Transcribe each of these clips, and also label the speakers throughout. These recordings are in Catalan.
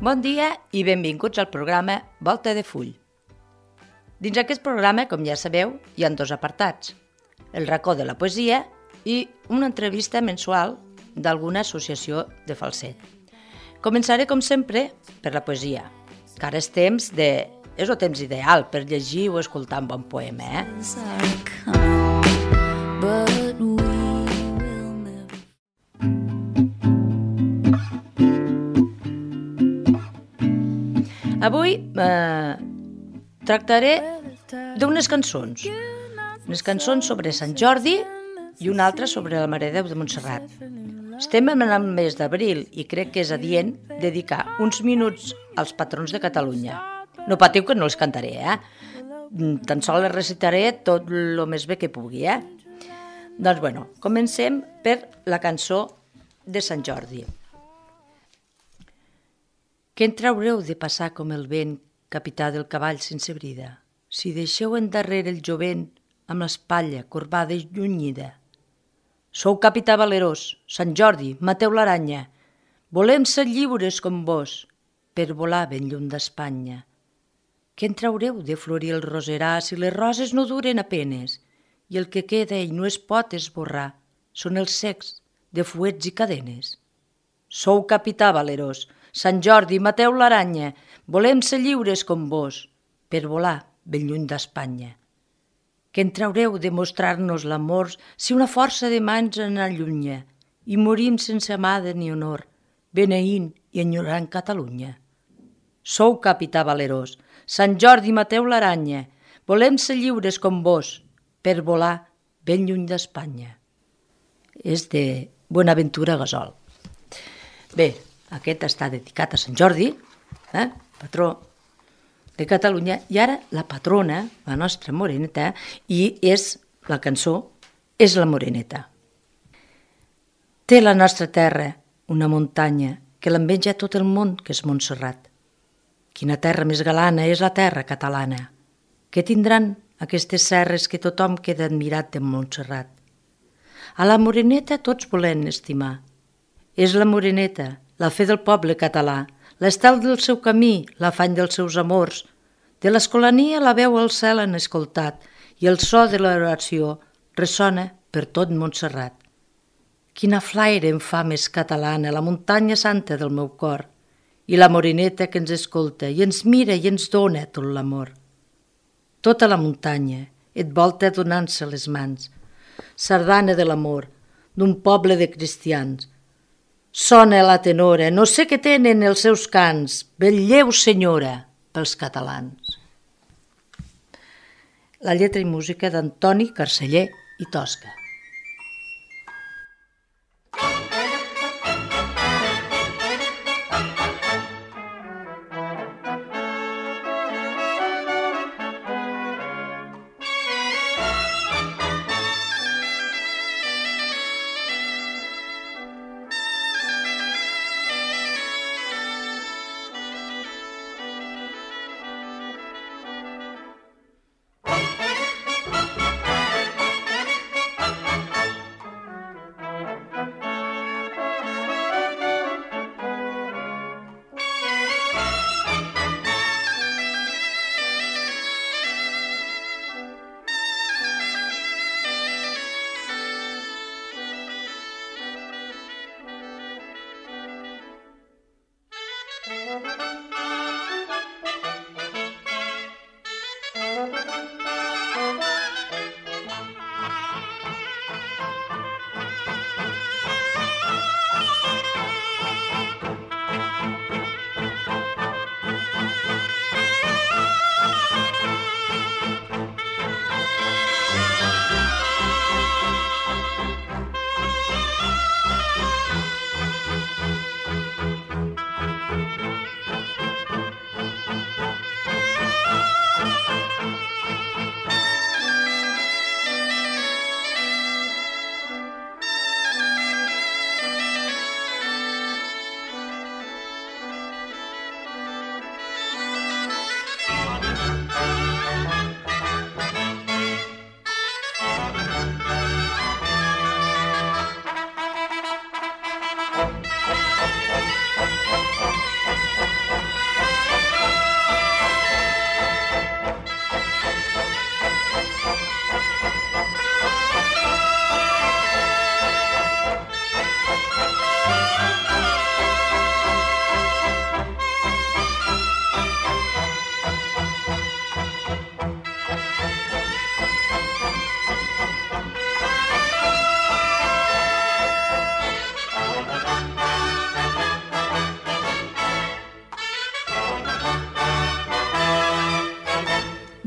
Speaker 1: Bon dia i benvinguts al programa Volta de Full. Dins aquest programa, com ja sabeu, hi ha dos apartats. El racó de la poesia i una entrevista mensual d'alguna associació de falset. Començaré, com sempre, per la poesia, que ara és el temps ideal per llegir o escoltar un bon poema, Avui tractaré d'unes cançons. Unes cançons sobre Sant Jordi i una altra sobre la Mare de Déu de Montserrat. Estem en el mes d'abril i crec que és adient dedicar uns minuts als patrons de Catalunya. No patiu que no els cantaré, Tan sols les recitaré tot el més bé que pugui, Doncs, comencem per la cançó de Sant Jordi. Què en traureu de passar com el vent, capità del cavall sense brida, si deixeu endarrere el jovent amb l'espatlla corbada i llunyida? Sou capità valerós, Sant Jordi, mateu l'aranya, volem ser lliures com vos, per volar ben lluny d'Espanya. Què en traureu de florir el roserà si les roses no duren apenes, i el que queda i no es pot esborrar són els cecs de fuets i cadenes? Sou capità valerós, Sant Jordi, mateu l'aranya, volem ser lliures com vos, per volar ben lluny d'Espanya. Què en traureu de mostrar-nos l'amor si una força de mans en allunya i morim sense amada ni honor, beneint i enyorant Catalunya? Sou capità valerós, Sant Jordi, mateu l'aranya, volem ser lliures com vos, per volar ben lluny d'Espanya. És de Bonaventura Gasol. Bé, aquest està dedicat a Sant Jordi, patró de Catalunya, i ara la patrona, la nostra moreneta, i la cançó és la moreneta. Té la nostra terra una muntanya que l'enveja tot el món, que és Montserrat. Quina terra més galana és la terra catalana. Què tindran aquestes serres que tothom queda admirat de Montserrat? A la moreneta tots volen estimar. És la moreneta, la fe del poble català, l'estel del seu camí, l'afany dels seus amors. De l'escolania la veu al cel han escoltat i el so de l'oració ressona per tot Montserrat. Quina flaire em fa més catalana la muntanya santa del meu cor i la moreneta que ens escolta i ens mira i ens dona tot l'amor. Tota la muntanya et volta donant-se les mans, sardana de l'amor d'un poble de cristians. Sona la tenora, no sé què tenen els seus cants, vetlleu, senyora, pels catalans. La lletra i música d'Antoni Carceller i Tosca.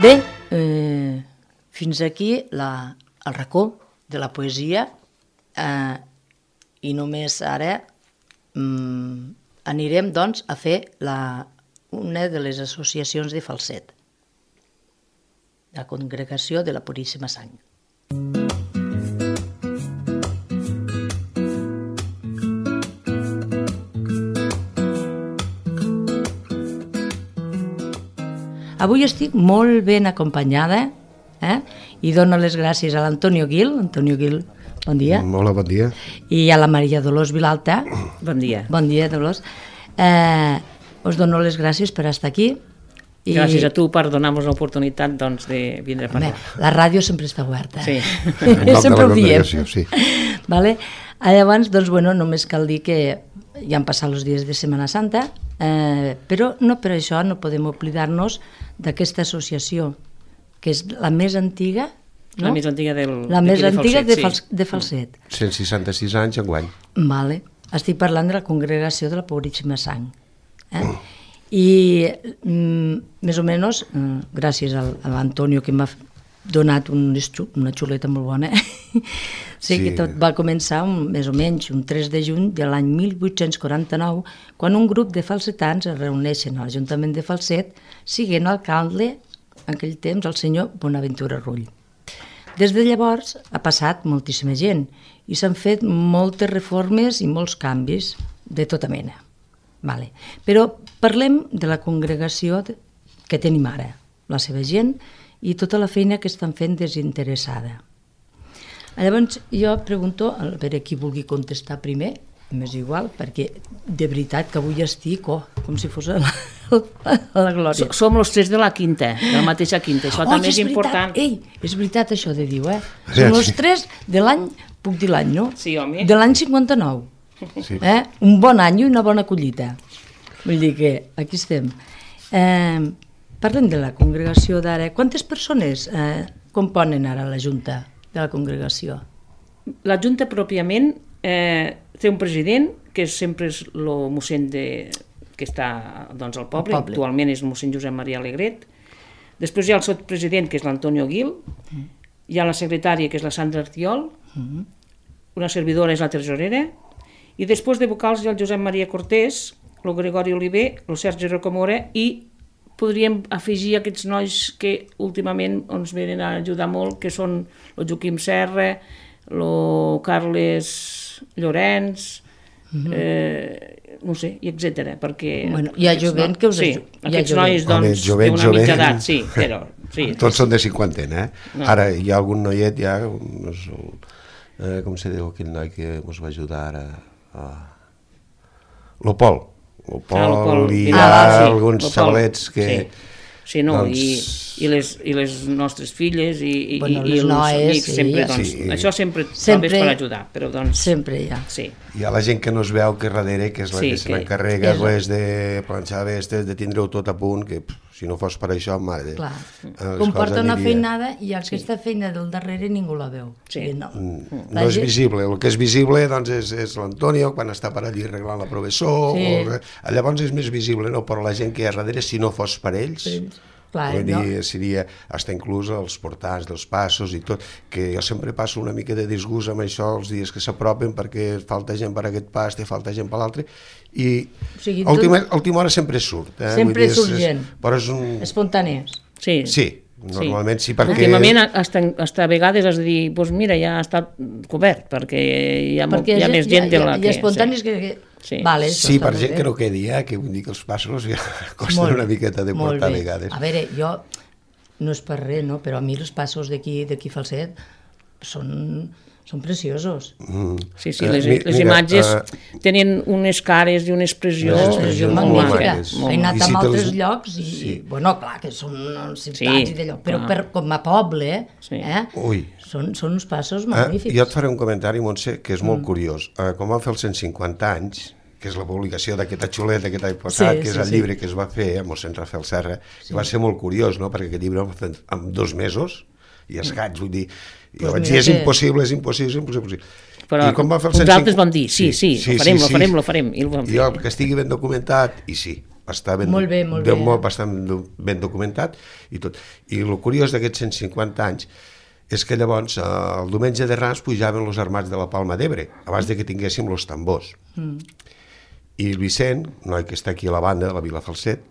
Speaker 1: Bé, fins aquí el racó de la poesia i només ara anirem doncs a fer una de les associacions de falset, la Congregació de la Puríssima Sang. Avui estic molt ben acompanyada i dono les gràcies a l'Antonio Gil. Antonio Gil, bon dia.
Speaker 2: Hola, bon dia.
Speaker 1: I a la Maria Dolors Vilalta.
Speaker 3: Bon dia.
Speaker 1: Bon dia, Dolors. Us dono les gràcies per estar aquí.
Speaker 3: Gràcies a tu per donar-nos l'oportunitat de vindre a parlar.
Speaker 1: La ràdio sempre està oberta.
Speaker 3: Sí.
Speaker 1: Sempre ho diem.
Speaker 2: Sí.
Speaker 1: Vale? Llavors, doncs, només cal dir que ja han passat els dies de Setmana Santa, però no per això no podem oblidar-nos d'aquesta associació, que és la més antiga, no?
Speaker 3: La més antiga
Speaker 1: de Falset.
Speaker 2: 166 anys enguany.
Speaker 1: Vale. Estic parlant de la Congregació de la Puríssima Sang. I més o menys, gràcies a l'Antonio que m'ha donat una xuleta molt bona, sé que tot va començar més o menys un 3 de juny de l'any 1849, quan un grup de falsetans es reuneixen a l'Ajuntament de Falset, siguent alcalde en aquell temps el senyor Bonaventura Rull. Des de llavors ha passat moltíssima gent i s'han fet moltes reformes i molts canvis de tota mena. Vale. Però parlem de la congregació que tenim ara, la seva gent i tota la feina que estan fent desinteressada. Llavors jo pregunto, a veure qui vulgui contestar primer, m'és igual, perquè de veritat que avui estic com si fos a la glòria.
Speaker 3: Som els 3 de la quinta, de la mateixa quinta, això també és important.
Speaker 1: Ei, és veritat això de dir, Som els 3 de l'any, puc dir l'any, no?
Speaker 3: Sí, home.
Speaker 1: De l'any 59. Sí. Un bon any i una bona collita. Vull dir que aquí estem. Parlem de la congregació d'ara. Quantes persones componen ara la Junta de la congregació?
Speaker 3: La Junta pròpiament té un president, que sempre és el mossèn que està al poble. Actualment és el mossèn Josep Maria Alegret. Després hi ha el sotpresident, que és l'Antonio Gil. Hi ha la secretària, que és la Sandra Artiol. Una servidora és la tresorera. I després de vocals hi ha el Josep Maria Cortés, el Gregori Oliver, el Sergi Rocamora, i podríem afegir aquests nois que últimament ens venen a ajudar molt, que són el Joaquim Serra, el Carles Llorenç, no sé, i etcètera, perquè...
Speaker 1: Hi ha jovent que us
Speaker 3: ajuda. Sí, aquests nois d'una mitja edat, sí, però...
Speaker 2: Tots són de cinquantena, Ara hi ha algun noiet, com se diu aquell noi que ens va ajudar ara? Lo Pol i hi ha alguns xavalets que...
Speaker 3: Sí, no, i les nostres filles i els amics sempre, això sempre és per ajudar, però doncs...
Speaker 1: Sempre hi ha.
Speaker 2: Hi ha la gent que no es veu, que darrere, que és la que se n'encarrega, de planxar vestes, de tindre-ho tot a punt, que si no fos per això, mare...
Speaker 1: Clar, comporta una feinada i aquesta feina del darrere ningú la veu.
Speaker 2: No és visible, el que és visible és l'Antonio, quan està per allí arreglant la professor, llavors és més visible, però la gent que hi ha darrere, si no fos per ells... Vull dir, seria fins inclús els portants dels passos i tot, que jo sempre passo una mica de disgust amb això els dies que s'apropen perquè falta gent per aquest pas, falta gent per l'altre, i a última hora sempre surt.
Speaker 1: Sempre surt gent, espontànies.
Speaker 2: Sí, normalment sí, perquè...
Speaker 3: Últimament, a vegades has de dir, doncs mira, ja ha estat cobert, perquè hi ha més gent de la que...
Speaker 1: Hi ha espontanis que...
Speaker 2: Sí, per gent que no quedi, que vull dir que els passos ja costen una miqueta de portar a vegades.
Speaker 1: A veure, jo, no és per res, però a mi els passos d'aquí Falset són preciosos.
Speaker 3: Sí, les imatges tenen unes cares i una expressió
Speaker 1: molt magnífica. He anat a altres llocs i, bueno, clar, que són ciutats i d'allò, però com a poble, són uns passos magnífics.
Speaker 2: Jo et faré un comentari, Montse, que és molt curiós. Com van fer els 150 anys, que és la publicació d'aquesta xuleta que t'he passat, que és el llibre que es va fer amb el mossèn Rafael Serra, que va ser molt curiós, perquè aquest llibre el va fer en 2 mesos, i escaig, vull dir, jo vaig dir, és impossible.
Speaker 3: Però uns altres van dir, sí, ho farem.
Speaker 2: Jo, que estigui ben documentat, i sí, està bastant ben documentat i tot. I el curiós d'aquests 150 anys és que llavors el diumenge de Rams pujaven els armats de la Palma d'Ebre, abans de que tinguéssim els tambors. I el Vicent, noi que està aquí a la banda, de la Vila Falset,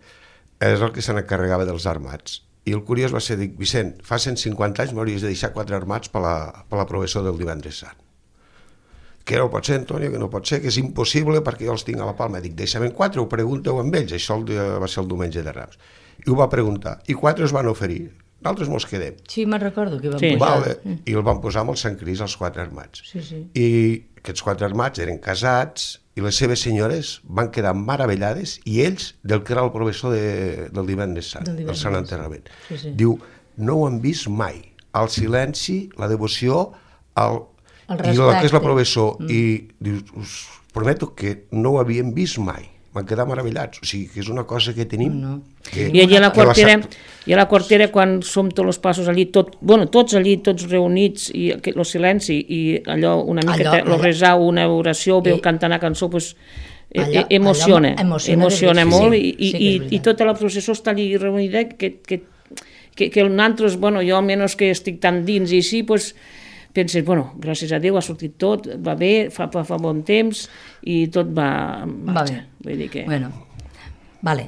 Speaker 2: és el que se n'encarregava dels armats. I el curiós va ser dir, Vicent, fa 150 anys m'hauries de deixar 4 armats per la professó del divendres sant. Que no pot ser, Antonio, que no pot ser, que és impossible perquè jo els tinc a la Palma. Dic, deixa'm 4, ho pregunteu amb ells. Això va ser el diumenge de Rams. I ho va preguntar. I 4 es van oferir. Nosaltres mos quedem.
Speaker 1: Sí, me'n recordo que van posar.
Speaker 2: I el van posar amb el Sant Cris, els 4 armats.
Speaker 1: Sí.
Speaker 2: I aquests 4 armats eren casats i les seves senyores van quedar meravellades i ells del que era el professor del divendres sant, del Sant Enterrament. Diu, no ho han vist mai. El silenci, la devoció, i el que és la professor, i dius, us prometo que no ho havíem vist mai, van quedar meravellats, o sigui que és una cosa que tenim.
Speaker 3: I allà a la quartera, quan som tots els passos allí, tots allí, tots reunits, i el silenci, i allò una mica, resar una oració, veu cantar una cançó, doncs emociona molt, i tota la processó està allí reunida, que nosaltres, jo almenys que estic tan dins i així, doncs penses, gràcies a Déu ha sortit tot, va bé, fa bon temps i tot va marxar. Vull dir que...
Speaker 1: Vale.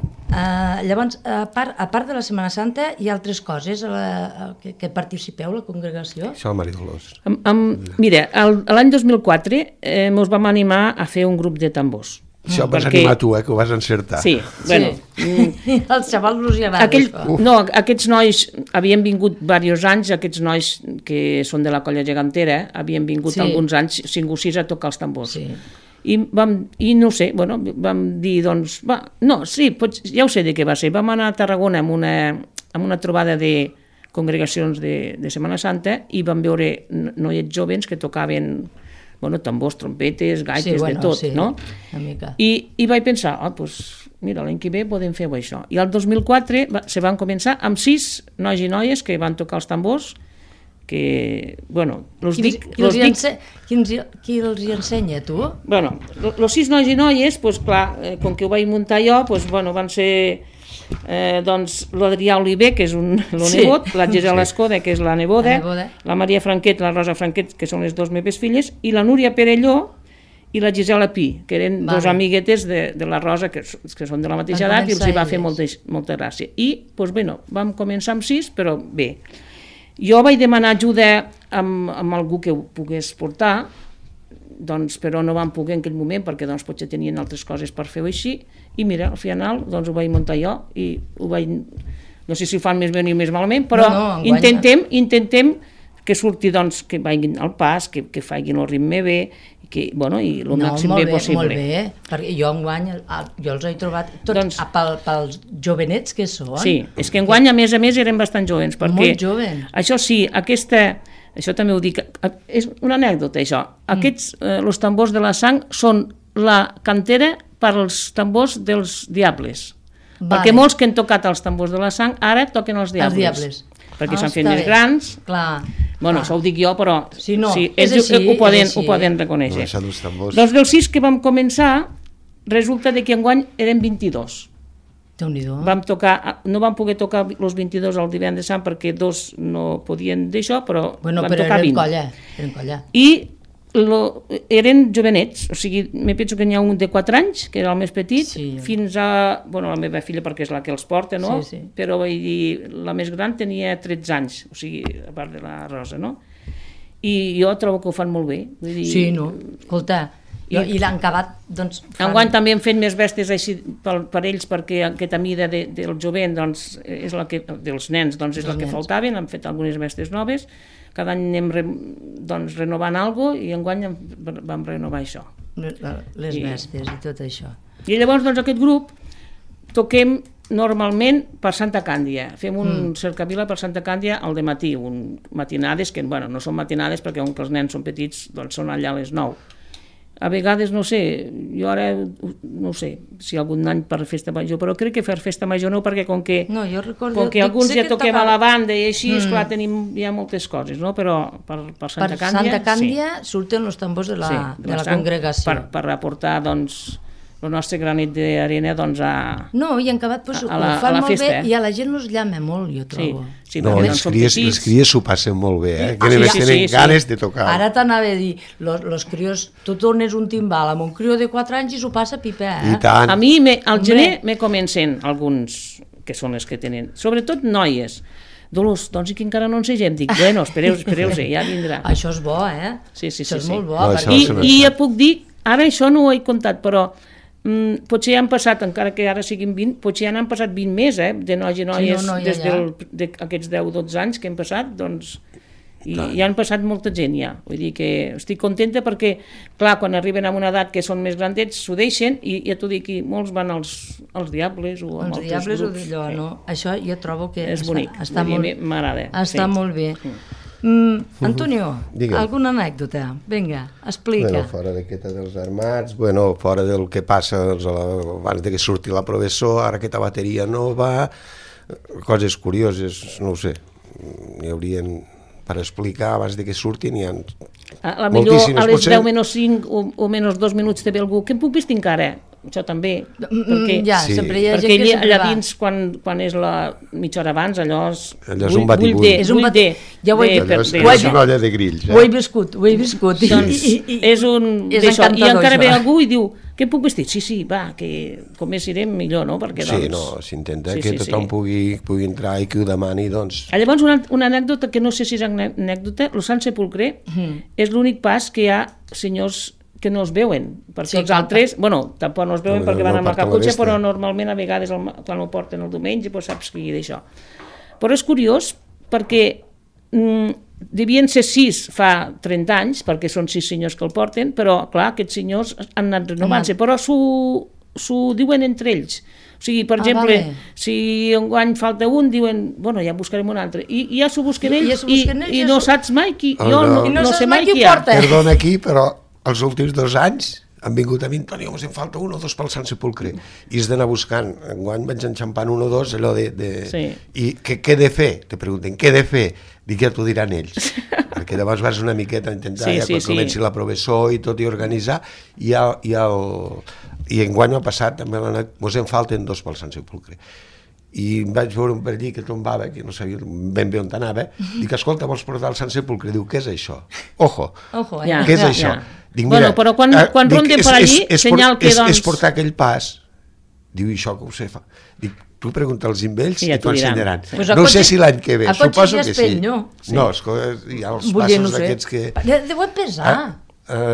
Speaker 1: Llavors, a part de la Setmana Santa, hi ha altres coses que participeu, la congregació?
Speaker 2: Això, Maria Dolors.
Speaker 3: Mira, l'any 2004 ens vam animar a fer un grup de tambors.
Speaker 2: Això vas animar tu, que ho vas encertar.
Speaker 3: Sí, bueno.
Speaker 1: Els xavals no hi agrada.
Speaker 3: No, aquests nois havien vingut diversos anys, aquests nois que són de la colla gegantera, havien vingut alguns anys, 5 o 6 a tocar els tambors. I no sé, vam dir, doncs, ja ho sé de què va ser. Vam anar a Tarragona amb una trobada de congregacions de Setmana Santa i vam veure noiets joves que tocaven tambors, trompetes, gaites, de tot, no? I vaig pensar, mira, l'any que ve podem fer això. I el 2004 se van començar amb 6 nois i noies que van tocar els tambors, que,
Speaker 1: Qui els hi ensenya, tu?
Speaker 3: Els 6 nois i noies, clar, com que ho vaig muntar jo, van ser... l'Adrià Oliver, que és el nebot, la Gisela Escoda, que és la neboda, la Maria Franquet, la Rosa Franquet, que són les 2 meves filles, i la Núria Perelló i la Gisela Pi, que eren 2 amiguetes de la Rosa, que són de la mateixa edat, i els hi va fer molta gràcia. I, vam començar amb 6, però bé. Jo vaig demanar ajuda amb algú que ho pogués portar, però no van poder en aquell moment perquè potser tenien altres coses per fer-ho així, i mira, al final ho vaig muntar jo i ho vaig, no sé si ho fan més bé o més malament, però intentem que surti, que vagin al pas, que facin el ritme bé, i el màxim bé possible.
Speaker 1: Molt bé, perquè jo enguany els he trobat tots pels jovenets que són.
Speaker 3: Sí, és que enguany a més eren bastant jovens, perquè
Speaker 1: molt jovens.
Speaker 3: Això sí, això també ho dic, és una anècdota això, els tambors de la sang són la cantera per als tambors dels diables, perquè molts que han tocat els tambors de la sang ara toquen els diables. Perquè s'han fet més grans. Això ho dic jo, però ells ho poden reconèixer. Doncs dels 6 que vam començar, resulta que enguany eren 22. No vam poder tocar els 22 el divendres sant perquè 2 no podien d'això, però vam tocar 20.
Speaker 1: Eren colla.
Speaker 3: I eren jovenets, o sigui, me penso que n'hi ha un de 4 anys, que era el més petit, fins a, la meva filla perquè és la que els porta, no? Però vull dir, la més gran tenia 13 anys, o sigui, a part de la Rosa, no? I jo trobo que ho fan molt bé.
Speaker 1: Escolta, i l'han acabat,
Speaker 3: Enguany també hem fet més bèsties així per ells, perquè aquesta mida del jovent, és la que, dels nens, és la que faltaven, han fet algunes bèsties noves, cada any anem renovant alguna cosa, i enguany vam renovar això.
Speaker 1: Les bèsties i tot això.
Speaker 3: I llavors, aquest grup, toquem normalment per Santa Càndia, fem un cercavila per Santa Càndia al dematí, matinades, que no són matinades perquè com que els nens són petits, són allà a les 9. A vegades, no sé, jo ara no sé si algun any per festa major, però crec que per festa major no, perquè com que alguns ja toquem a la banda i així, esclar, tenim ja moltes coses, no? Però per Santa Càndia...
Speaker 1: Per Santa Càndia surten els tambors de la congregació.
Speaker 3: Per aportar, el nostre granet d'arena doncs a
Speaker 1: No, i en acabat ho fan molt bé i a la gent els llama molt, jo trobo.
Speaker 2: No, les cries s'ho passen molt bé, que només tenen ganes de tocar.
Speaker 1: Ara t'anava a dir, els crios, tu tornes un timbal amb un crió de 4 anys i s'ho passa pipa,
Speaker 2: I tant.
Speaker 3: A mi, al gener, me comencen alguns, que són les que tenen, sobretot noies, Dolors, doncs i que encara no ensegem. Dic, bueno, espereu-se, ja vindrà.
Speaker 1: Això és bo,
Speaker 3: Sí.
Speaker 1: Això és molt bo.
Speaker 3: I ja puc dir, ara això no ho he comptat, però potser ja han passat, encara que ara siguin 20, potser ja n'han passat 20 més, de nois i noies, des d'aquests 10-12 anys que hem passat, doncs, i ja han passat molta gent ja. Vull dir que estic contenta perquè, clar, quan arriben a una edat que són més grandets, s'ho deixen, i ja t'ho dic, els van als Diables o amb altres grups.
Speaker 1: O d'allò, no? Això jo trobo que
Speaker 3: és bonic, m'agrada.
Speaker 1: Està molt bé. Antonio, alguna anècdota? Vinga, explica.
Speaker 2: Fora d'aquesta dels armats, fora del que passa abans que surti la professor, ara aquesta bateria nova, coses curioses, no ho sé, n'hi haurien per explicar abans que surtin, n'hi ha moltíssimes.
Speaker 3: A les 10 menys 5 o menys 2 minuts te ve algú, què em puc vestir encara? Això també,
Speaker 1: sempre hi ha gent que
Speaker 3: allà dins, quan és la mitja hora abans, allò
Speaker 2: és un batibull.
Speaker 1: És una
Speaker 2: olla de grills.
Speaker 1: Ho he viscut.
Speaker 3: Doncs és un d'això, i encara ve algú i diu, què em puc vestir? Sí, va, que com més irem millor, no?
Speaker 2: Sí, s'intenta que tothom pugui entrar i que ho demani, doncs.
Speaker 3: Llavors, una anècdota, que no sé si és anècdota, el Sant Sepulcre és l'únic pas que hi ha senyors que no es veuen, perquè els altres, tampoc no es veuen perquè van amb la caputxa, però normalment a vegades quan ho porten el diumenge saps qui d'això. Però és curiós perquè devien ser 6 fa 30 anys, perquè són 6 senyors que el porten, però clar, aquests senyors han anat renovant-se, però s'ho diuen entre ells. O sigui, per exemple, si enguany falta un, diuen, ja en buscarem un altre. I ja s'ho busquen ells i no saps mai qui, jo no sé mai qui hi ha.
Speaker 2: Perdona aquí, però els últims 2 anys han vingut a mi, Antonio, ens en falta 1 o 2 pel Sant Sepulcre, i has d'anar buscant. Enguany vaig enxampant 1 o 2, allò I què he de fer? Te pregunten, què he de fer? Dic, ja t'ho diran ells, perquè llavors vas una miqueta a intentar, quan comenci la professor i tot, i organitzar, i enguany m'ha passat, també ens en falten 2 pel Sant Sepulcre. I vaig veure un per allí que tombava, que no sabia ben bé on anava, dic, escolta, vols portar el Sant Sepulcre? Diu, què és això? Ojo, què és això? Dic, mira,
Speaker 3: però quan ronden per allí, senyal que doncs...
Speaker 2: És portar aquell pas. Diu, això que ho sé fa. Dic, tu pregunta als ells i t'ho ensenyaran. No sé si l'any que ve, suposo que sí. No, hi ha els passos d'aquests que...
Speaker 1: Deuen pesar.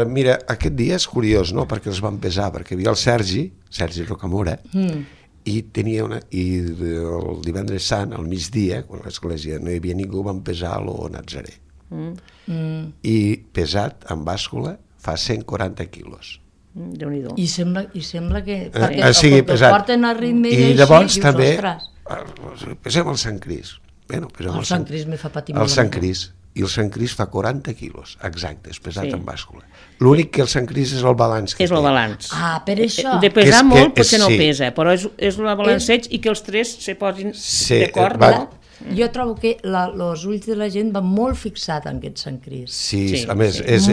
Speaker 2: Mira, aquest dia és curiós, no?, perquè els van pesar, perquè hi havia el Sergi Rocamora, i el divendres sant, al migdia, quan a l'església no hi havia ningú, van pesar a lo Nazaré. I pesat, en bàscula, fa 140 quilos.
Speaker 3: Déu-n'hi-do.
Speaker 1: I sembla que...
Speaker 2: sigui pesat.
Speaker 1: Porten a ritme
Speaker 2: i llavors també pesem el Sant Cris.
Speaker 1: El Sant Cris me fa patir molt.
Speaker 2: El Sant Cris. I el Sant Cris fa 40 quilos, exactes, pesat en bàscula. L'únic que el Sant Cris és el balanç que té.
Speaker 3: És el balanç.
Speaker 1: Per això.
Speaker 3: De pesar molt potser no pesa, però és el balanceig i que els 3 se posin d'acord, no?
Speaker 1: Jo trobo que els ulls de la gent van molt fixats en aquest Sant Cris.
Speaker 2: Sí, a més, és...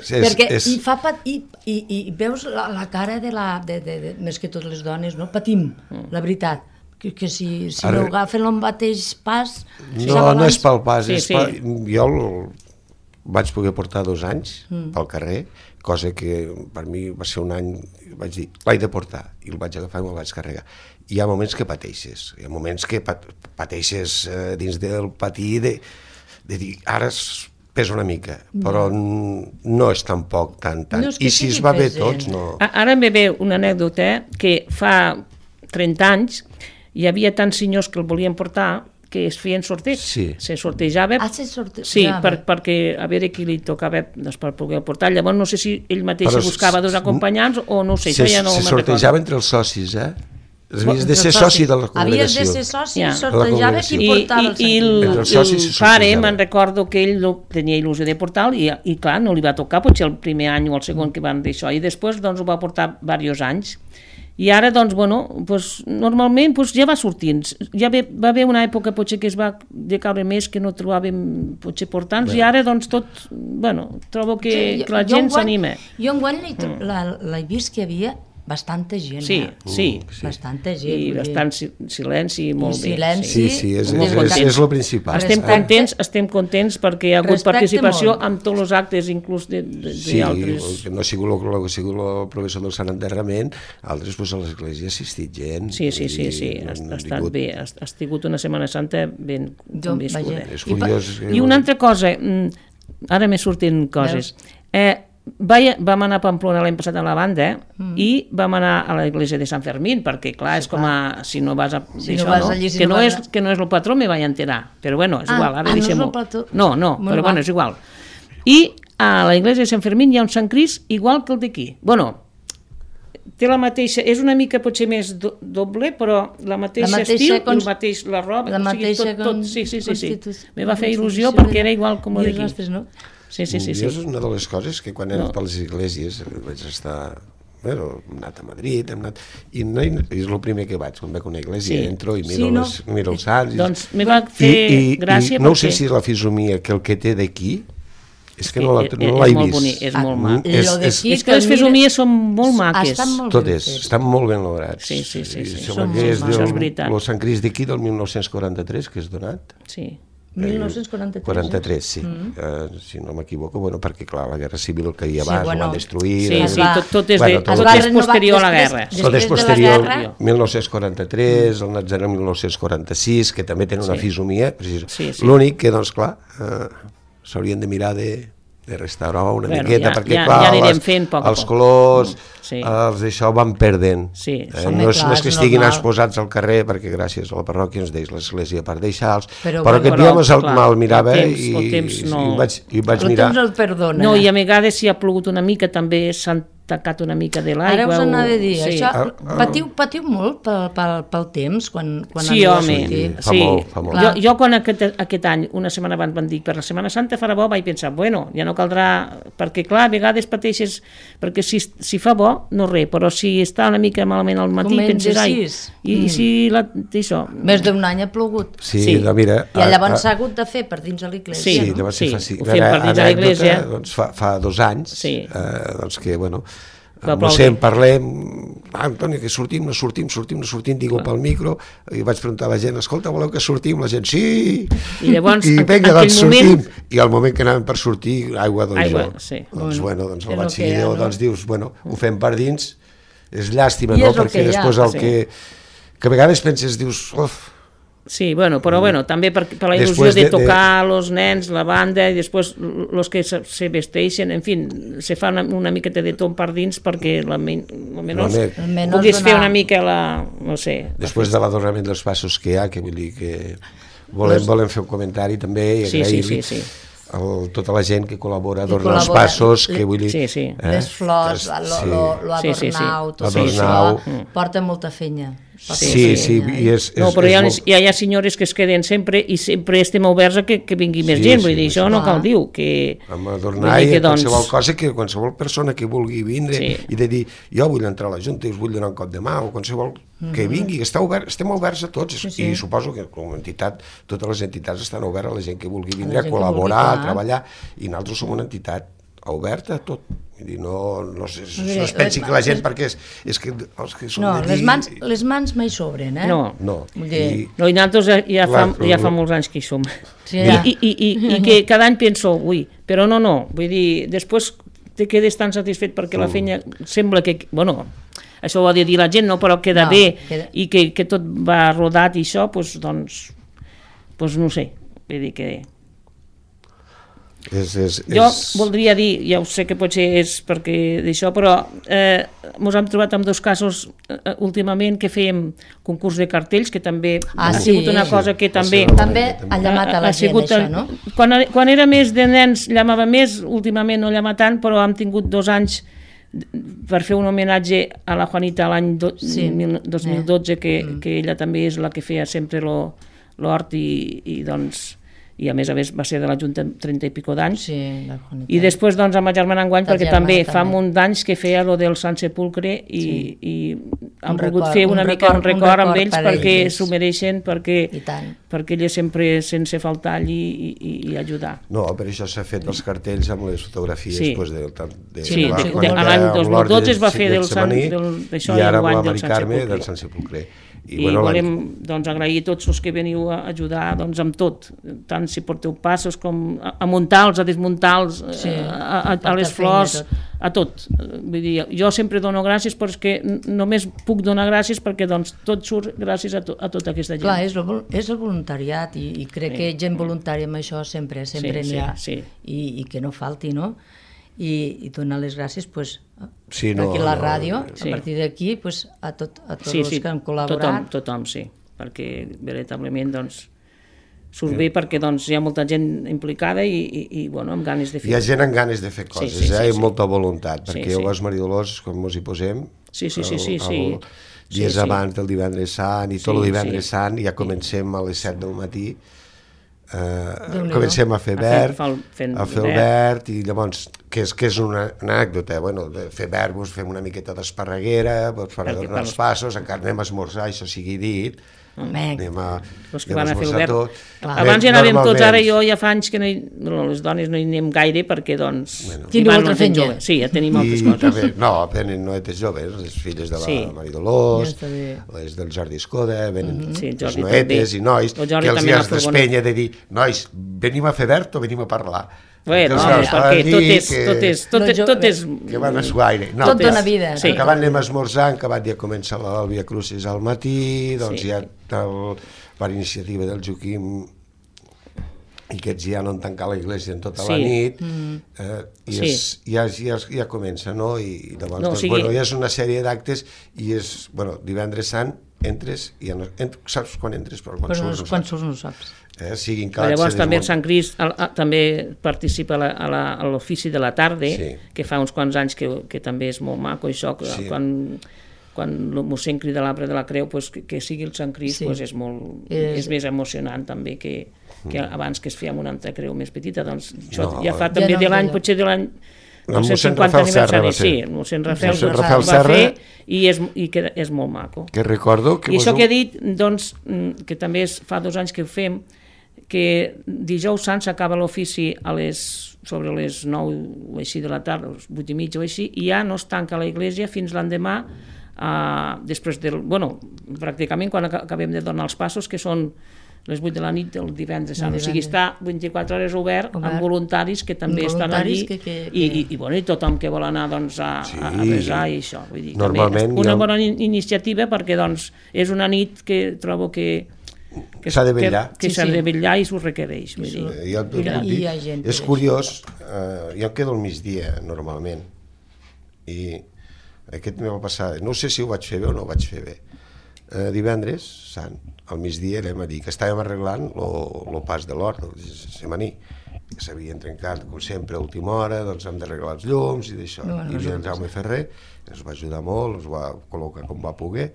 Speaker 1: Perquè i veus la cara més que totes les dones, no? Patim, la veritat. Que si no agafen el mateix pas...
Speaker 2: No és pel pas, jo vaig poder portar 2 anys pel carrer, cosa que per mi va ser un any, vaig dir, l'haig de portar, i el vaig agafar i me'l vaig carregar. Hi ha moments que pateixes, dins del patir de dir, ara pesa una mica, però no és tampoc tant. I si es va bé tots, no...
Speaker 3: Ara em ve una anècdota que fa 30 anys hi havia tants senyors que el volien portar que es feien sorteig. Se sortejava.
Speaker 1: Se sortejava.
Speaker 3: Sí, perquè a veure qui li tocava per poder portar. Llavors no sé si ell mateix buscava 2 acompanyants o no sé, això ja no me'n recordo.
Speaker 2: Se sortejava entre els socis, Havies de ser soci de la congregació.
Speaker 1: Havies de ser soci i sortejava qui portava el
Speaker 3: Sant Cris. I el pare, me'n recordo que ell tenia il·lusió de portar-lo i clar, no li va tocar potser el primer any o el segon que van d'això, i després ho va portar diversos anys. I ara, normalment ja va sortint. Ja va haver una època potser que es va decaure més, que no trobàvem potser portants, i ara tot, trobo que la gent s'anima.
Speaker 1: Jo enguany l'he vist que hi havia bastanta gent.
Speaker 3: Sí.
Speaker 1: Bastanta gent.
Speaker 3: I bastant silenci, molt bé.
Speaker 2: Sí, és el principal.
Speaker 3: Estem contents perquè hi ha hagut participació amb tots els actes, inclús d'altres...
Speaker 2: Sí, no ha sigut el professor del Sant Enterrament, altres a l'església ha assistit gent.
Speaker 3: Sí, ha estat bé, ha estat una Setmana Santa ben viscuda. I una altra cosa, ara m'he sortint coses, vam anar a Pamplona l'any passat amb la banda i vam anar a l'església de Sant Fermín, perquè clar, és com si no vas a que no és el patró, me vaig enterar, però bueno, és igual, ara deixem-ho. No, però bueno, és igual. I a l'església de Sant Fermín hi ha un Sant Crist igual que el d'aquí. Bueno, té la mateixa, és una mica potser més doble, però la mateixa estil, el mateix la roba,
Speaker 1: la mateixa
Speaker 3: constitució. Me va fer il·lusió perquè era igual com el d'aquí. Sí.
Speaker 2: És una de les coses que quan he anat a les esglésies vaig estar... Bueno, hem anat a Madrid, i és el primer que vaig, quan veig una església, entro i miro els sants.
Speaker 3: Doncs me va fer gràcia perquè...
Speaker 2: No sé si és la fisonomia que el que té d'aquí, és que no l'he vist.
Speaker 3: És molt mac. És que les fisonomies són molt maques.
Speaker 2: Totes, estan molt ben lograts.
Speaker 3: Sí.
Speaker 2: Això és veritat. El Sant Crist d'aquí del 1943, que és donat.
Speaker 3: Sí.
Speaker 1: 1943,
Speaker 2: sí. Si no m'equivoco, perquè clar, la Guerra Civil que hi ha abans ho van destruir.
Speaker 3: Sí, tot és posterior a la guerra.
Speaker 2: Tot és posterior, 1943, el Natzarè 1946, que també tenen una fisomia. L'únic que, doncs clar, s'haurien de mirar de restaurar una miqueta, perquè clar, els colors, els d'això van perdent. No és que estiguin exposats al carrer, perquè gràcies a la parròquia ens deix l'església per deixar-los, però aquest dia me'l mirava i vaig mirar.
Speaker 3: No, i a vegades si ha plogut una mica també s'han tacat una mica de l'aigua.
Speaker 1: Ara us anava a dir, això patiu molt pel temps quan
Speaker 3: sí, home,
Speaker 2: fa molt.
Speaker 3: Jo quan aquest any, una setmana abans van dir per la Setmana Santa farà bo, vaig pensar, bueno, ja no caldrà, perquè clar, a vegades pateixes, perquè si fa bo, no res, però si està una mica malament al matí, penses, i si això...
Speaker 1: Més d'un any ha plogut.
Speaker 2: Sí, mira...
Speaker 1: I llavors s'ha hagut de fer per dins de l'església.
Speaker 2: Sí, llavors
Speaker 3: ho fem per dins de l'església.
Speaker 2: Fa 2 anys, doncs que, bueno... No sé, en parlem, Antoni, que sortim, no sortim, digo pel micro, i vaig preguntar a la gent, escolta, voleu que sortim? La gent, sí!
Speaker 3: I llavors,
Speaker 2: vinga, doncs sortim. I al moment que anàvem per sortir, aigua, doncs jo. Doncs el batxiller, doncs dius, bueno, ho fem per dins, és llàstima, no? Perquè després el que a vegades penses, dius,
Speaker 3: sí, però també per la il·lusió de tocar els nens, la banda, i després els que se vesteixen, en fi, se fa una miqueta de tot per dins perquè almenys puguis fer una mica no sé...
Speaker 2: Després de l'adornament dels passos que hi ha, que vull dir que volem fer un comentari també i agrair-li tota la gent que col·labora a adornar els passos, que vull dir...
Speaker 1: Les flors, l'adornau, tot això, porta molta feina.
Speaker 2: Sí,
Speaker 3: no, però hi ha senyores que es queden sempre i sempre estem oberts a que vingui més gent, vull dir, això no cal dir que...
Speaker 2: Amb adornar i qualsevol cosa, que qualsevol persona que vulgui vindre i de dir, jo vull entrar a la Junta i us vull donar un cop de mà, o qualsevol que vingui, estem oberts a tots, i suposo que com a entitat, totes les entitats estan obertes a la gent que vulgui vindre a col·laborar, a treballar, i nosaltres som una entitat oberta a tot. No es pensi que la gent, perquè és que els que són d'aquí...
Speaker 1: No, les mans mai sobren, eh?
Speaker 2: No.
Speaker 3: I nosaltres ja fa molts anys que hi som. I que cada any penso, però no, vull dir, després te quedes tan satisfet perquè la feina sembla que, bueno, això ho ha de dir la gent, no, però queda bé i que tot va rodat i això, doncs no sé, vull dir que... Jo voldria dir, ja ho sé que potser és perquè d'això, però ens hem trobat amb 2 casos últimament que fèiem concurs de cartells, que també ha sigut una cosa que també
Speaker 1: ha llamat a la gent, això, no?
Speaker 3: Quan era més de nens llamava més, últimament no llama tant, però hem tingut 2 anys per fer un homenatge a la Juanita l'any 2012, que ella també és la que feia sempre l'hort i doncs... i a més va ser de la Junta 30 i pico d'anys, i després doncs amb la germana enguany, perquè també fa un munt d'anys que feia lo del Sant Sepulcre i han volgut fer una mica un record amb ells perquè s'ho mereixen, perquè elles sempre sense faltar allí i ajudar.
Speaker 2: No, per això s'ha fet els cartells amb les fotografies
Speaker 3: sí, l'any 2012 es va fer d'això i enguany del Sant Sepulcre. I volem agrair a tots els que veniu a ajudar amb tot, tant si porteu passos com a muntar-los, a desmuntar-los, a les flors, a tot. Vull dir, jo sempre dono gràcies perquè només puc donar gràcies perquè tot surt gràcies a tota aquesta gent.
Speaker 1: Clar, és el voluntariat i crec que gent voluntària amb això sempre n'hi ha i que no falti, no? I donar les gràcies aquí a la ràdio, a partir d'aquí a tots els que han col·laborat.
Speaker 3: Tothom, sí, perquè veritablement surt bé perquè hi ha molta gent implicada i amb ganes de fer.
Speaker 2: Hi ha gent amb ganes de fer coses, i molta voluntat, perquè el Gos Maria Dolors, com ens hi posem, dies abans del divendres sant i tot el divendres sant ja comencem a les 7 del matí, comencem a fer verd, el verd, i llavors, que és una anècdota, fer verd, fem una miqueta d'esparreguera, per donar els passos, encara anem a esmorzar, això sigui dit,
Speaker 3: anem a esmorzar tot. Abans ja anàvem tots, ara jo ja fa anys que les dones no hi anem gaire perquè
Speaker 1: teniu altra feina.
Speaker 3: Sí, ja tenim altres coses.
Speaker 2: No, venen noetes joves, les filles de la Maria Dolors, les del Jordi Escoda, venen les noetes i nois, que els hi has d'espenya de dir, nois, venim a fer verd o venim a parlar?
Speaker 3: Bueno, perquè tot és...
Speaker 2: Que van a suaire.
Speaker 1: Tot dona vida.
Speaker 2: Acabat anem a esmorzar, acabat ja comença el Via Crucis al matí, doncs ja per iniciativa del Joaquim i aquests ja no han tancat la iglesia en tota la nit, i ja comença, no? I llavors, ja és una sèrie d'actes i és, divendres sant, entres i saps quan entres, però
Speaker 1: quan surts no saps.
Speaker 3: Llavors també el Sant Crist també participa a l'ofici de la tarda, que fa uns quants anys que també és molt maco això, quan el mossèn crida l'arbre de la creu, que sigui el Sant Crist és més emocionant també que abans que es feia amb una altra creu més petita, doncs això ja fa també de l'any, potser de l'any
Speaker 2: el mossèn Rafael Serra va ser.
Speaker 3: El mossèn Rafael va fer i que és molt maco.
Speaker 2: Que recordo que...
Speaker 3: I això que he dit, doncs, que també fa 2 anys que ho fem, que dijous sant s'acaba l'ofici sobre les 9 o així de la tarda, 8 i mitja o així, i ja no es tanca la iglesia fins l'endemà, després del... pràcticament quan acabem de donar els passos, que són les 8 de la nit del divendres sant. O sigui, està 24 hores obert amb voluntaris que també estan allí i tothom que vol anar a resar i això. Normalment una bona iniciativa perquè és una nit que trobo que
Speaker 2: s'ha de vetllar.
Speaker 3: Que s'ha de vetllar i s'ho requereix.
Speaker 2: És curiós, jo em quedo al migdia normalment i aquest me va passar, no sé si ho vaig fer bé o no ho vaig fer bé. Divendres sant, al migdia anem a dir que estàvem arreglant el pas de l'hort del Semaní, que s'havien trencat com sempre a última hora, doncs hem d'arreglar els llums i d'això, i el Jaume Ferrer ens va ajudar molt, ens va col·locar com va poder,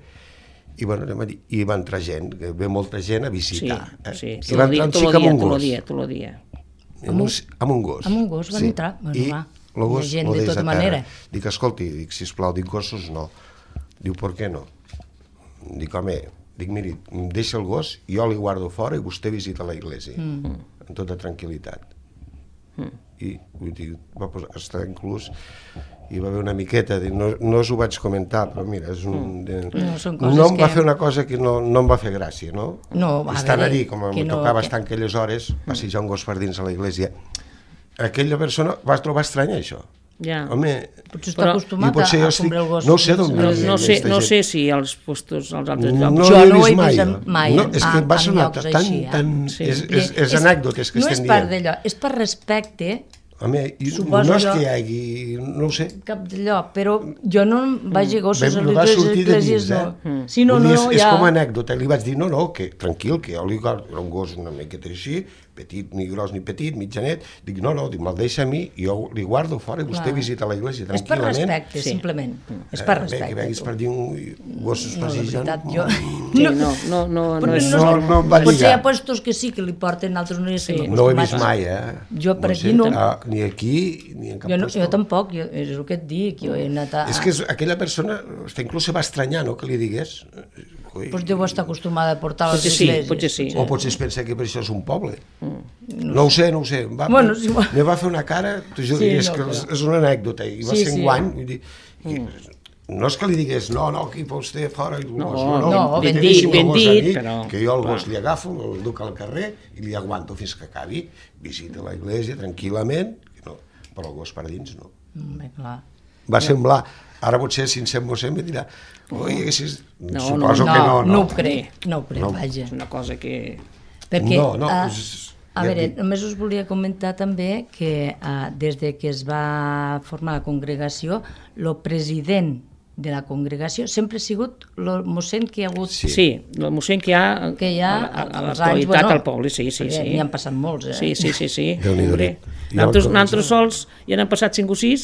Speaker 2: i anem a dir, i va entrar gent, ve molta gent a visitar, i va entrar un xic amb un gos, amb un gos
Speaker 1: van entrar,
Speaker 2: i el gos ho deixa a terra, dic, escolti, sisplau, dic, gossos no, diu, per què no? Dic, home, miri, deixa el gos, jo li guardo fora i vostè visita la iglesia, amb tota tranquil·litat. I vull dir, va estar inclús, hi va haver una miqueta, no us ho vaig comentar, però mira, no em va fer una cosa que no em va fer gràcia, no? Estan allí, com em tocava estar en aquelles hores, passejar un gos per dins a la iglesia, aquella persona va trobar estrany això. Home,
Speaker 1: potser està acostumat a comprar el gos.
Speaker 2: No ho sé d'on
Speaker 3: venia. No sé si als postos, als altres llocs.
Speaker 2: No ho he vist mai. És que va sonar tan... És anècdotes que estem dient.
Speaker 1: No és part d'allò, és per respecte.
Speaker 2: Home, no és que hi hagi... No ho sé.
Speaker 1: Cap d'allò, però jo no vaig a gossos a
Speaker 2: les esglésies,
Speaker 1: no.
Speaker 2: És com a anècdota. Li vaig dir, no, que tranquil, que jo li guardo un gos una miqueta així, petit, ni gros ni petit, mitjanet, dic, no, me'l deixa a mi, jo li guardo fora i vostè visita l'església tranquil·lament.
Speaker 1: És per respecte, simplement. És per respecte.
Speaker 2: Que venguis per dir gossos passejant.
Speaker 3: No
Speaker 2: em va lligar.
Speaker 1: Potser hi ha puestos que sí, que li porten altres noies.
Speaker 2: No ho he vist mai,
Speaker 1: Jo per aquí no.
Speaker 2: Ni aquí, ni en cap puesto.
Speaker 1: Jo tampoc, és el que et dic, jo he anat a...
Speaker 2: És que aquella persona, inclús se va estranyar, no?, que li digués.
Speaker 1: Doncs deu estar acostumada a portar les esglésies.
Speaker 3: Potser sí.
Speaker 2: O potser es pensa que per això és un poble. No ho sé. Me va fer una cara, és una anècdota, i va ser enguany, vull dir, no és que li digués, no, aquí fa vostè fora,
Speaker 1: ben dit,
Speaker 3: però...
Speaker 2: Que jo el gos li agafo, el duc al carrer i li aguanto fins que acabi, visita l'església tranquil·lament, però el gos per dins no. Va semblar, ara potser si en sent mossèn em dirà, suposo que no.
Speaker 1: No ho crec, vaja.
Speaker 3: És una cosa que...
Speaker 1: Perquè, a veure, només us volia comentar també que des que es va formar la congregació, el president de la congregació sempre ha sigut el mossèn que hi ha hagut...
Speaker 3: Sí, el mossèn que hi ha a l'actualitat al poble, sí.
Speaker 1: N'hi han passat molts,
Speaker 3: Sí. Nosaltres sols hi han passat 5 o 6.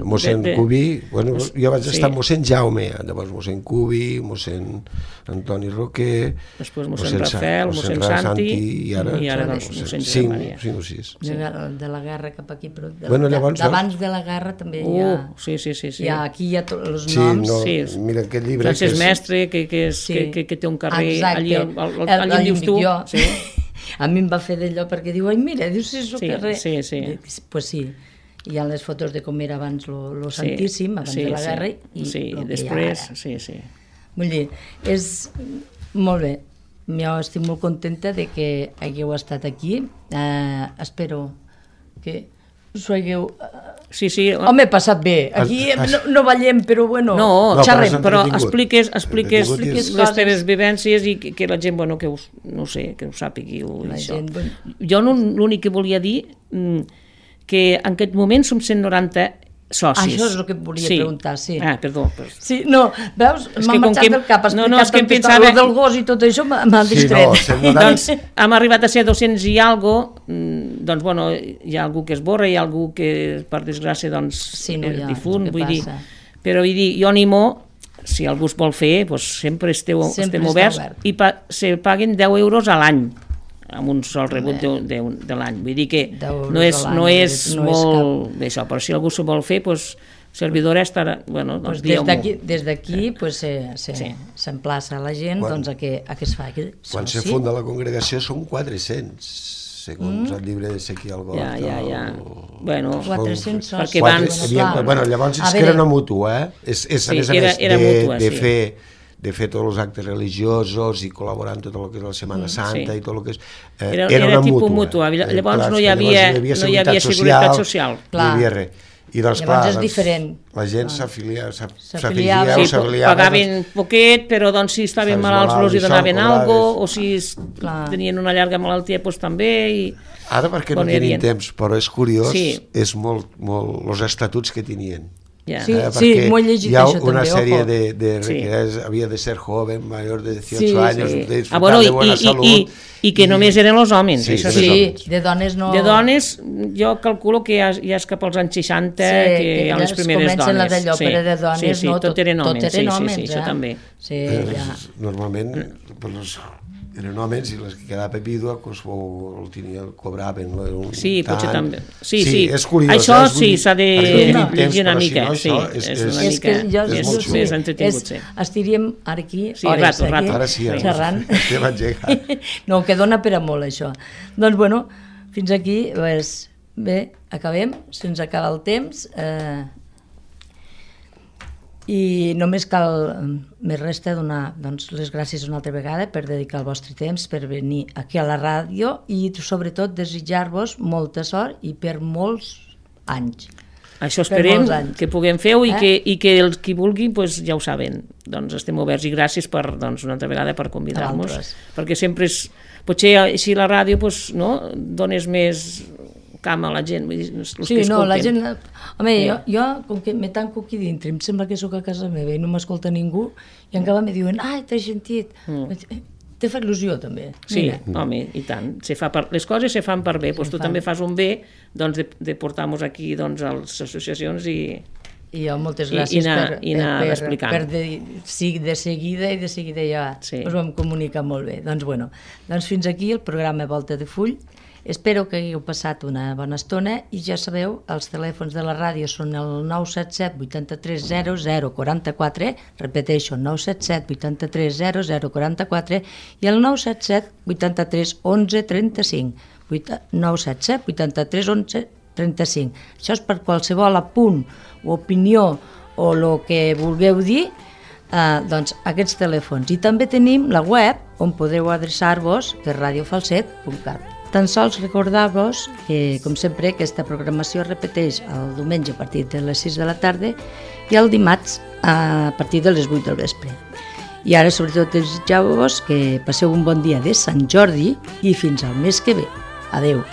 Speaker 2: Mossèn Cubí, jo vaig estar amb mossèn Jaume, llavors mossèn Cubí, mossèn Antoni Roquer,
Speaker 3: després mossèn Rafael, mossèn Santi i ara mossèn Josep Maria.
Speaker 2: 5 o 6.
Speaker 1: De la guerra cap aquí, però
Speaker 2: d'abans
Speaker 1: de la guerra també hi ha...
Speaker 3: Sí.
Speaker 1: Aquí hi ha els noms.
Speaker 2: Mira aquest llibre...
Speaker 3: Francesc Mestre, que té un carrer allí on dius tu.
Speaker 1: A mi em va fer d'allò perquè diu, mira, dius, és el carrer.
Speaker 3: Sí.
Speaker 1: Pues sí, hi ha les fotos de com era abans lo Santíssim, abans de la guerra, i
Speaker 3: després, sí.
Speaker 1: Vull dir, és molt bé. Jo estic molt contenta de que hagueu estat aquí. Espero que us ho hagueu...
Speaker 3: Sí.
Speaker 1: Home, he passat bé. Aquí no ballem, però bueno...
Speaker 3: No, xerrem, però expliques les teves vivències i que la gent, que no sé, que ho sàpigui. Jo l'únic que volia dir que en aquest moment som 190 socis.
Speaker 1: Això és el que et volia preguntar, sí.
Speaker 3: Perdó.
Speaker 1: Sí, no, veus, m'ha marxat del cap, explicat el del gos i tot això, m'ha distret.
Speaker 3: Doncs hem arribat a ser 200 i alguna cosa, hi ha algú que es borra, hi ha algú que, per desgràcia, és difunt, vull dir, però vull dir, jo animo, si algú es vol fer, sempre estem oberts i se paguen 10 euros a l'any, amb un sol rebut de l'any. Vull dir que no és molt d'això, però si algú s'ho vol fer, servidora estarà...
Speaker 1: Des d'aquí s'emplaça la gent a que es faci.
Speaker 2: Quan se funda la congregació són 400, segons el llibre d'Ezequiel Got.
Speaker 3: Ja. Bueno,
Speaker 1: 400
Speaker 3: perquè abans...
Speaker 2: Llavors és que era una mútua, És a més de fer tots els actes religiosos i col·laborar en tot el que és la Setmana Santa i tot el que és...
Speaker 3: Era tipus mútua, llavors no hi havia seguretat social.
Speaker 2: No hi havia res. I doncs, clar,
Speaker 1: és diferent.
Speaker 2: La gent s'afiliava.
Speaker 3: Pagaven poquet, però si estaven malalts els donaven alguna cosa, o si tenien una llarga malaltia, també.
Speaker 2: Ara perquè no tenim temps, però és curiós, és molt els estatuts que tenien.
Speaker 1: M'ho he llegit això també.
Speaker 2: Hi ha una sèrie que havia de ser joven, major de 18 anys, de disfrutar de bona salut.
Speaker 3: I que només eren els homes, això sí.
Speaker 1: De dones no...
Speaker 3: De dones, jo calculo que ja és cap als anys 60 que hi ha les primeres dones.
Speaker 1: Comencen d'allò, però de dones no,
Speaker 3: tot eren homes, sí, això també.
Speaker 2: Normalment, eren homes i les que quedava vídua el cobraven.
Speaker 3: Sí, potser també. Sí,
Speaker 2: és curiós.
Speaker 3: Això sí, s'ha de llegir una mica. És que és més entretingut.
Speaker 1: Estiríem aquí hores xerrant. No, que dona per a molt això. Doncs bueno, fins aquí, bé, acabem, se'ns acaba el temps. I només més resta donar les gràcies una altra vegada per dedicar el vostre temps, per venir aquí a la ràdio i sobretot desitjar-vos molta sort i per molts anys.
Speaker 3: Això esperem que puguem fer i que els qui vulguin ja ho saben. Doncs estem oberts i gràcies una altra vegada per convidar-nos, perquè sempre és... Potser així la ràdio dones més camp a la gent,
Speaker 1: la gent... Home, jo, com que me tanco aquí dintre, em sembla que sóc a casa meva i no m'escolta ningú, i encara me diuen, t'has sentit. Te fa il·lusió, també.
Speaker 3: Sí, home, i tant. Les coses se fan per bé. Doncs tu també fas un bé de portar-nos aquí a les associacions i
Speaker 1: moltes gràcies
Speaker 3: per explicar.
Speaker 1: Sí, de seguida ja us vam comunicar molt bé. Doncs fins aquí el programa Volta de Full. Espero que hagueu passat una bona estona i ja sabeu, els telèfons de la ràdio són el 977 83 00 44, repeteixo, 977 83 00 44 i el 977 83 11 35, 977 83 11 35. Això és per qualsevol apunt o opinió o el que vulgueu dir, doncs aquests telèfons. I també tenim la web on podeu adreçar-vos, que és radiofalset.cat. Tan sols recordar-vos que, com sempre, aquesta programació es repeteix el diumenge a partir de les 6 de la tarda i el dimarts a partir de les 8 del vespre. I ara, sobretot, desitjau-vos que passeu un bon dia de Sant Jordi i fins al mes que ve. Adeu.